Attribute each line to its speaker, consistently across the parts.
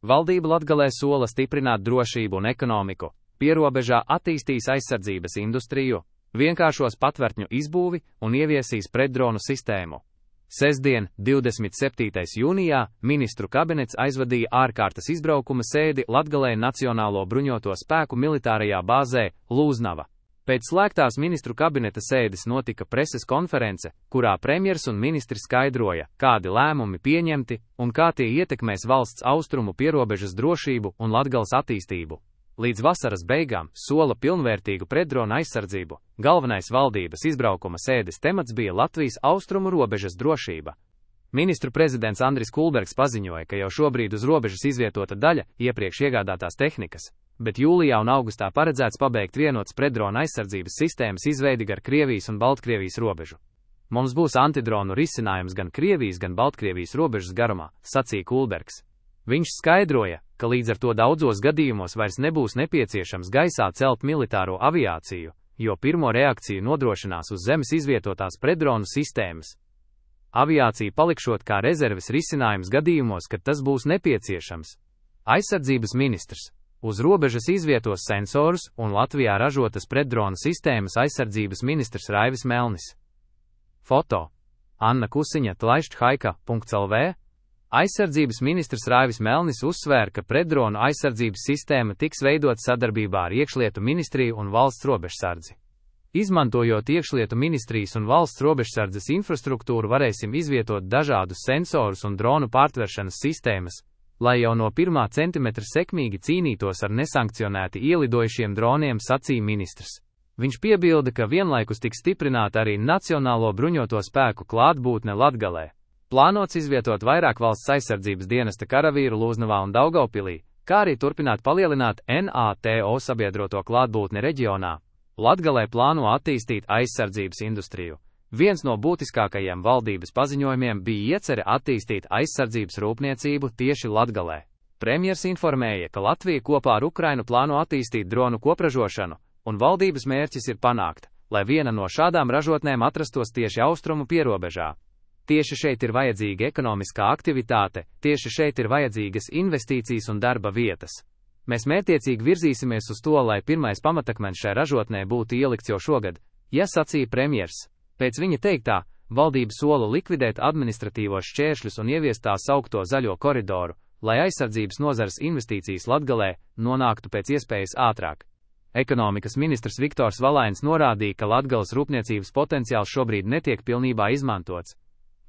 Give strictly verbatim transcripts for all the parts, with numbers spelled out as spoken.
Speaker 1: Valdība Latgalē sola stiprināt drošību un ekonomiku, pierobežā attīstīs aizsardzības industriju, vienkāršos patvērtņu izbūvi un ieviesīs pretdronu sistēmu. Sestdien, divdesmit septītais jūnijā, ministru kabinets aizvadīja ārkārtas izbraukuma sēdi Latgalē Nacionālo bruņoto spēku militārajā bāzē Lūznava. Pēc slēgtās ministru kabineta sēdes notika preses konference, kurā premjers un ministri skaidroja, kādi lēmumi pieņemti un kā tie ietekmēs valsts austrumu pierobežas drošību un Latgales attīstību. Līdz vasaras beigām sola pilnvērtīgu pretdrona aizsardzību. Galvenais valdības izbraukuma sēdes temats bija Latvijas austrumu robežas drošība. Ministru prezidents Andris Kulbergs paziņoja, ka jau šobrīd uz robežas izvietota daļa iepriekš iegādātās tehnikas, bet jūlijā un augustā paredzēts pabeigt vienotas pretdrona aizsardzības sistēmas izveidi gar Krievijas un Baltkrievijas robežu. Mums būs antidronu risinājums gan Krievijas, gan Baltkrievijas robežas garumā, sacīja Kulbergs. Viņš skaidroja, ka līdz ar to daudzos gadījumos vairs nebūs nepieciešams gaisā celt militāro aviāciju, jo pirmo reakciju nodrošinās uz zemes izvietotās pretdronu sistēmas. Aviācija palikšot kā rezerves risinājums gadījumos, kad tas būs nepieciešams. Aizsardzības ministrs uz robežas izvietos sensorus un Latvijā ražotas pretdronu sistēmas aizsardzības ministrs Raivis Melnis. Foto Anna Kusiņa tlaišķhaika punkts el vē. Aizsardzības ministrs Raivis Melnis uzsvēra, ka pretdronu aizsardzības sistēma tiks veidot sadarbībā ar Iekšlietu ministriju un valsts robežsardzi. Izmantojot Iekšlietu ministrijas un valsts robežsardzes infrastruktūru, varēsim izvietot dažādus sensorus un dronu pārtveršanas sistēmas, lai jau no pirmā centimetra sekmīgi cīnītos ar nesankcionēti ielidojušiem droniem, sacīja ministrs. Viņš piebilda, ka vienlaikus tiks stiprināta arī Nacionālo bruņoto spēku klātbūtne Latgalē. Plānots izvietot vairāk valsts aizsardzības dienesta karavīru Lūznavā un Daugavpilī, kā arī turpināt palielināt NATO sabiedroto klātbūtni reģionā. Latgalē plāno attīstīt aizsardzības industriju. Viens no būtiskākajiem valdības paziņojumiem bija iecerē attīstīt aizsardzības rūpniecību tieši Latgalē. Premjers informēja, ka Latvija kopā ar Ukrainu plāno attīstīt dronu kopražošanu, un valdības mērķis ir panākt, lai viena no šādām ražotnēm atrastos tieši austrumu pierobežā. Tieši šeit ir vajadzīga ekonomiskā aktivitāte, tieši šeit ir vajadzīgas investīcijas un darba vietas. Mēs mērķiecīgi virzīsimies uz to, lai pirmais pamatakmens šai ražotnē būtu ielikts jau šogad, ja sacīja premjers. Pēc viņa teiktā, valdība sola likvidēt administratīvos šķēršļus un ieviest tā saukto zaļo koridoru, lai aizsardzības nozares investīcijas Latgalē nonāktu pēc iespējas ātrāk. Ekonomikas ministrs Viktors Valains norādīja, ka Latgales rūpniecības potenciāls šobrīd netiek pilnībā izmantots.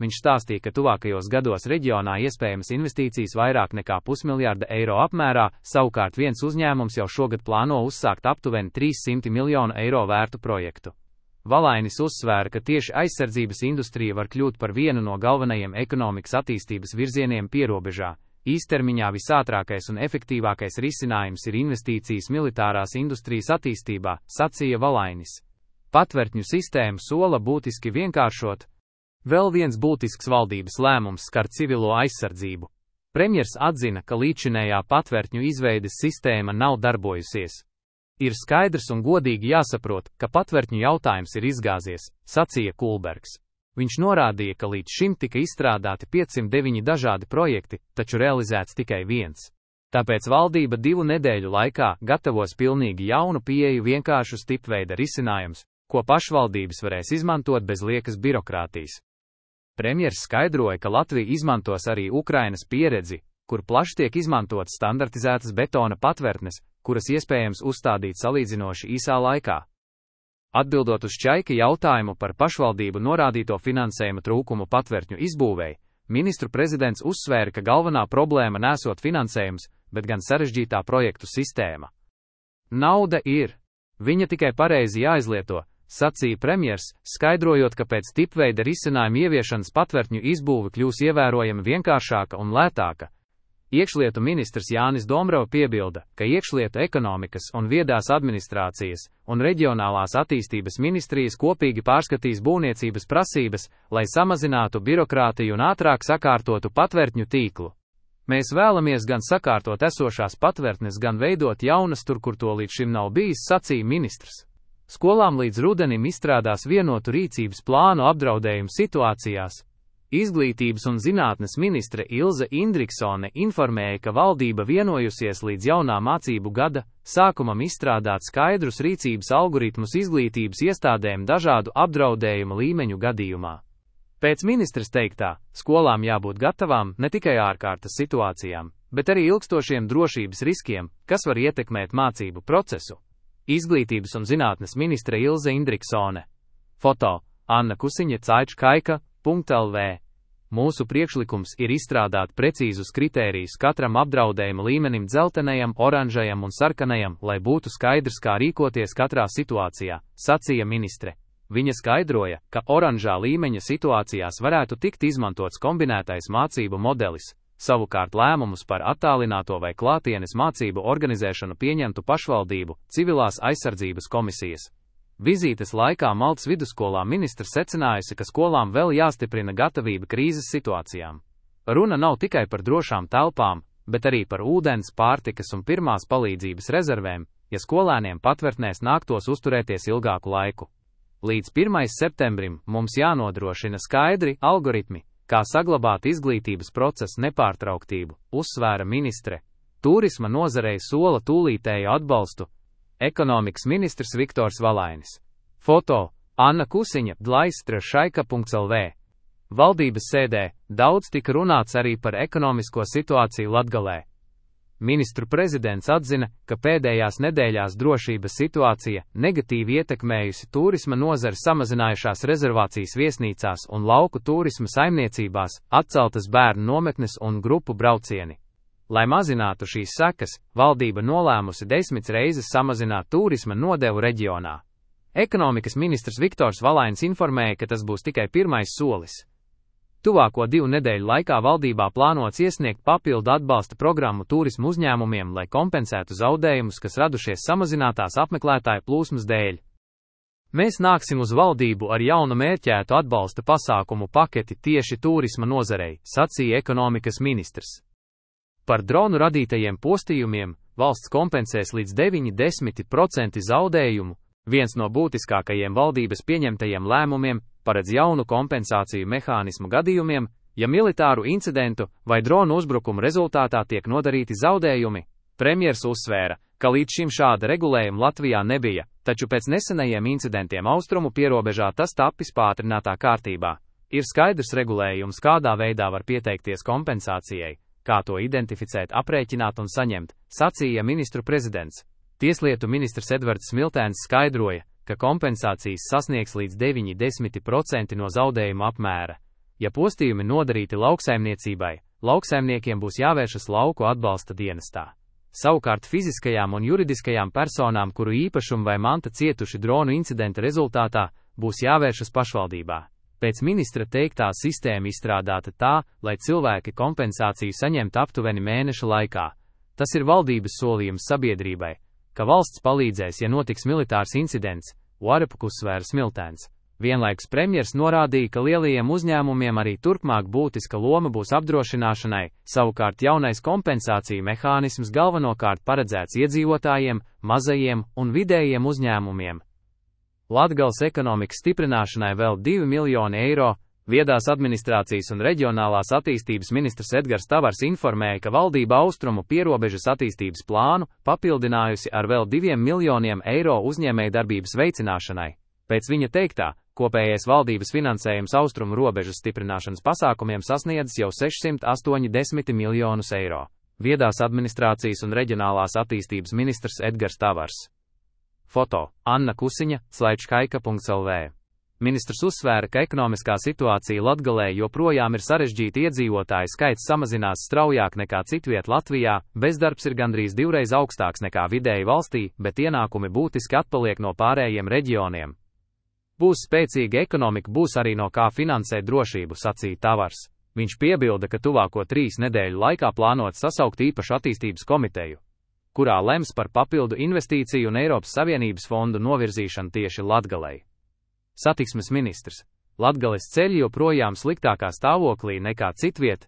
Speaker 1: Viņš stāstīja, ka tuvākajos gados reģionā iespējamas investīcijas vairāk nekā pusmiljārda eiro apmērā, savukārt viens uzņēmums jau šogad plāno uzsākt aptuveni trīssimti miljonu eiro vērtu projektu. Valainis uzsvēra, ka tieši aizsardzības industrija var kļūt par vienu no galvenajiem ekonomikas attīstības virzieniem pierobežā. Īstermiņā visātrākais un efektīvākais risinājums ir investīcijas militārās industrijas attīstībā, sacīja Valainis. Patvērtņu sistēmu sola būtiski vienkāršot. Vēl viens būtisks valdības lēmums skar civilo aizsardzību. Premjers atzina, ka līdzinējā patvērtņu izveides sistēma nav darbojusies. Ir skaidrs un godīgi jāsaprot, ka patvērtņu jautājums ir izgāzies, sacīja Kulbergs. Viņš norādīja, ka līdz šim tika izstrādāti piecsimt deviņi dažādi projekti, taču realizēts tikai viens. Tāpēc valdība divu nedēļu laikā gatavos pilnīgi jaunu pieeju, vienkāršus tipveida risinājums, ko pašvaldības varēs izmantot bez liekas birokrātijas. Premjers skaidroja, ka Latvija izmantos arī Ukrainas pieredzi, kur plaši tiek izmantotas standartizētas betona patvērtnes, kuras iespējams uzstādīt salīdzinoši īsā laikā. Atbildot uz Čaika jautājumu par pašvaldību norādīto finansējuma trūkumu patvērtņu izbūvēi, ministru prezidents uzsvēra, ka galvenā problēma nesot finansējums, bet gan sarežģītā projektu sistēma. Nauda ir. Viņa tikai pareizi jāizlieto, sacīja premjers, skaidrojot, ka pēc tipveida risinājuma ieviešanas patvērtņu izbūve kļūs ievērojami vienkāršāka un lētāka. Iekšlietu ministrs Jānis Dombrava piebilda, ka iekšlietu ekonomikas un viedās administrācijas un reģionālās attīstības ministrijas kopīgi pārskatīs būvniecības prasības, lai samazinātu birokrātiju un ātrāk sakārtotu patvērtņu tīklu. Mēs vēlamies gan sakārtot esošās patvērtnes, gan veidot jaunas tur, kur to līdz šim nav bijis, sacīja ministrs. Skolām līdz rudenim izstrādās vienotu rīcības plānu apdraudējumu situācijās. Izglītības un zinātnes ministre Ilze Indriksone informēja, ka valdība vienojusies līdz jaunā mācību gada sākumam izstrādāt skaidrus rīcības algoritmus izglītības iestādēm dažādu apdraudējumu līmeņu gadījumā. Pēc ministres teiktā, skolām jābūt gatavām ne tikai ārkārtas situācijām, bet arī ilgstošiem drošības riskiem, kas var ietekmēt mācību procesu. Izglītības un zinātnes ministre Ilze Indriksone. Foto Anna Kusiņa Caičkaika. .lv. Mūsu priekšlikums ir izstrādāt precīzus kritērijus katram apdraudējuma līmenim dzeltenajam, oranžajam un sarkanajam, lai būtu skaidrs, kā rīkoties katrā situācijā, sacīja ministre. Viņa skaidroja, ka oranžā līmeņa situācijās varētu tikt izmantots kombinētais mācību modelis, savukārt lēmumus par attālināto vai klātienes mācību organizēšanu pieņemtu pašvaldību, civilās aizsardzības komisijas. Vizītes laikā Maltas vidusskolā ministre secinājusi, ka skolām vēl jāstiprina gatavība krīzes situācijām. Runa nav tikai par drošām telpām, bet arī par ūdens, pārtikas un pirmās palīdzības rezervēm, ja skolēniem patvērtnēs nāktos uzturēties ilgāku laiku. Līdz pirmajam septembrim mums jānodrošina skaidri algoritmi, kā saglabāt izglītības procesa nepārtrauktību, uzsvēra ministre. Turisma nozarei sola tūlītēju atbalstu. Ekonomikas ministrs Viktors Valainis. Foto Anna Kusiņa, Dlaistra.lv. Valdības sēdē daudz tika runāts arī par ekonomisko situāciju Latgalē. Ministru prezidents atzina, ka pēdējās nedēļās drošības situācija negatīvi ietekmējusi turisma nozari, samazinājušās rezervācijas viesnīcās un lauku turisma saimniecībās, atceltas bērnu nometnes un grupu braucieni. Lai mazinātu šīs sekas, valdība nolēmusi desmit reizes samazināt turisma nodevu reģionā. Ekonomikas ministrs Viktors Valainis informēja, ka tas būs tikai pirmais solis. Tuvāko divu nedēļu laikā valdībā plānots iesniegt papildu atbalsta programmu turismu uzņēmumiem, lai kompensētu zaudējumus, kas radušies samazinātās apmeklētāju plūsmas dēļ. Mēs nāksim uz valdību ar jaunu mērķētu atbalsta pasākumu paketi tieši turisma nozarei, sacīja ekonomikas ministrs. Par dronu radītajiem postījumiem valsts kompensēs līdz deviņdesmit procenti zaudējumu. Viens no būtiskākajiem valdības pieņemtajiem lēmumiem paredz jaunu kompensāciju mehānismu gadījumiem, ja militāru incidentu vai dronu uzbrukumu rezultātā tiek nodarīti zaudējumi. Premjers uzsvēra, ka līdz šim šāda regulējuma Latvijā nebija, taču pēc nesenajiem incidentiem austrumu pierobežā tas tapis pātrinātā kārtībā. Ir skaidrs regulējums, kādā veidā var pieteikties kompensācijai, kā to identificēt, aprēķināt un saņemt, sacīja ministru prezidents. Tieslietu ministrs Edvards Smiltēns skaidroja, ka kompensācijas sasniegs līdz deviņdesmit procenti no zaudējuma apmēra. Ja postījumi nodarīti lauksaimniecībai, lauksaimniekiem būs jāvēršas lauku atbalsta dienestā. Savukārt fiziskajām un juridiskajām personām, kuru īpašumu vai manta cietuši dronu incidenta rezultātā, būs jāvēršas pašvaldībā. Pēc ministra teiktā sistēma izstrādāta tā, lai cilvēki kompensāciju saņemtu aptuveni mēneša laikā. Tas ir valdības solījums sabiedrībai, ka valsts palīdzēs, ja notiks militārs incidents, Uarepuku uzsvēra Smiltēns. Vienlaikus premjers norādīja, ka lielajiem uzņēmumiem arī turpmāk būtiska loma būs apdrošināšanai, savukārt jaunais kompensāciju mehānisms galvenokārt paredzēts iedzīvotājiem, mazajiem un vidējiem uzņēmumiem. Latgales ekonomikas stiprināšanai vēl divi miljoni eiro. Viedās administrācijas un reģionālās attīstības ministrs Edgars Tavars informēja, ka valdība austrumu pierobežas attīstības plānu papildinājusi ar vēl diviem miljoniem eiro uzņēmējdarbības veicināšanai. Pēc viņa teiktā, kopējais valdības finansējums austrumu robežas stiprināšanas pasākumiem sasniedzis jau sešsimt astoņdesmit miljonus eiro. Viedās administrācijas un reģionālās attīstības ministrs Edgars Tavars. Foto Anna Kusiņa, Caičkaika.lv. Ministrs uzsvēra, ka ekonomiskā situācija Latgalē joprojām ir sarežģīta, iedzīvotāju skaits samazinās straujāk nekā citviet Latvijā, bezdarbs ir gandrīz divreiz augstāks nekā vidēji valstī, bet ienākumi būtiski atpaliek no pārējiem reģioniem. Būs spēcīga ekonomika, būs arī no kā finansēt drošību, sacīja Tavars. Viņš piebilda, ka tuvāko trīs nedēļu laikā plānots sasaukt īpašu attīstības komiteju, kurā lems par papildu investīciju un Eiropas Savienības fondu novirzīšanu tieši Latgalei. Satiksmes ministrs. Latgales ceļi joprojām sliktākā stāvoklī nekā citviet.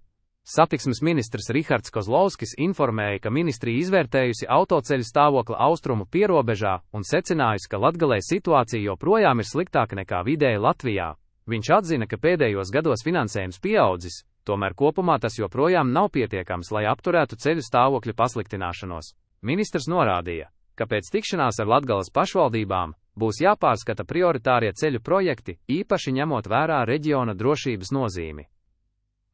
Speaker 1: Satiksmes ministrs Rihards Kozlovskis informēja, ka ministrija izvērtējusi autoceļu stāvokli austrumu pierobežā un secinājusi, ka Latgalē situācija joprojām ir sliktāka nekā vidēji Latvijā. Viņš atzina, ka pēdējos gados finansējums pieaudzis, tomēr kopumā tas joprojām nav pietiekams, lai apturētu ceļu stāvokļa pasliktināšanos. Ministrs norādīja, ka pēc tikšanās ar Latgales pašvaldībām būs jāpārskata prioritārie ceļu projekti, īpaši ņemot vērā reģiona drošības nozīmi.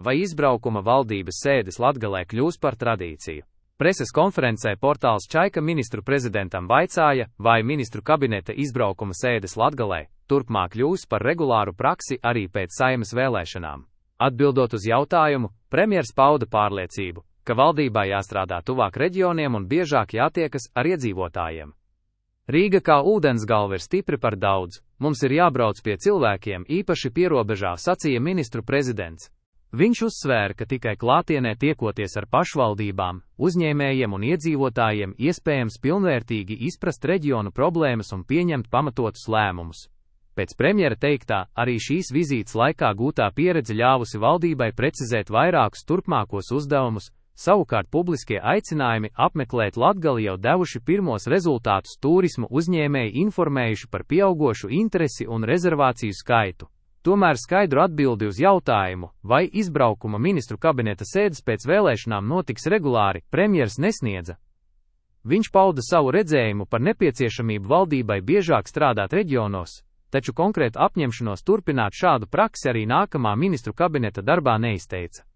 Speaker 1: Vai izbraukuma valdības sēdes Latgalē kļūs par tradīciju? Preses konferencē portāls Čaika ministru prezidentam vaicāja, vai ministru kabineta izbraukuma sēdes Latgalē turpmāk kļūs par regulāru praksi arī pēc Saeimas vēlēšanām. Atbildot uz jautājumu, premjers pauda pārliecību, ka valdībā jāstrādā tuvāk reģioniem un biežāk jātiekas ar iedzīvotājiem. Rīga kā ūdensgalva ir stipri par daudz, mums ir jābrauc pie cilvēkiem, īpaši pierobežā, sacīja ministru prezidents. Viņš uzsvēra, ka tikai klātienē tiekoties ar pašvaldībām, uzņēmējiem un iedzīvotājiem iespējams pilnvērtīgi izprast reģionu problēmas un pieņemt pamatotus lēmumus. Pēc premjera teiktā, arī šīs vizītes laikā gūtā pieredze ļāvusi valdībai precizēt vairākus turpmākos uzdevumus, savukārt publiskie aicinājumi apmeklēt Latgali jau devuši pirmos rezultātus, turismu uzņēmēji informējuši par pieaugošu interesi un rezervāciju skaitu. Tomēr skaidru atbildi uz jautājumu, vai izbraukuma ministru kabineta sēdes pēc vēlēšanām notiks regulāri, premjers nesniedza. Viņš pauda savu redzējumu par nepieciešamību valdībai biežāk strādāt reģionos, taču konkrētu apņemšanos turpināt šādu praksi arī nākamā ministru kabineta darbā neizteica.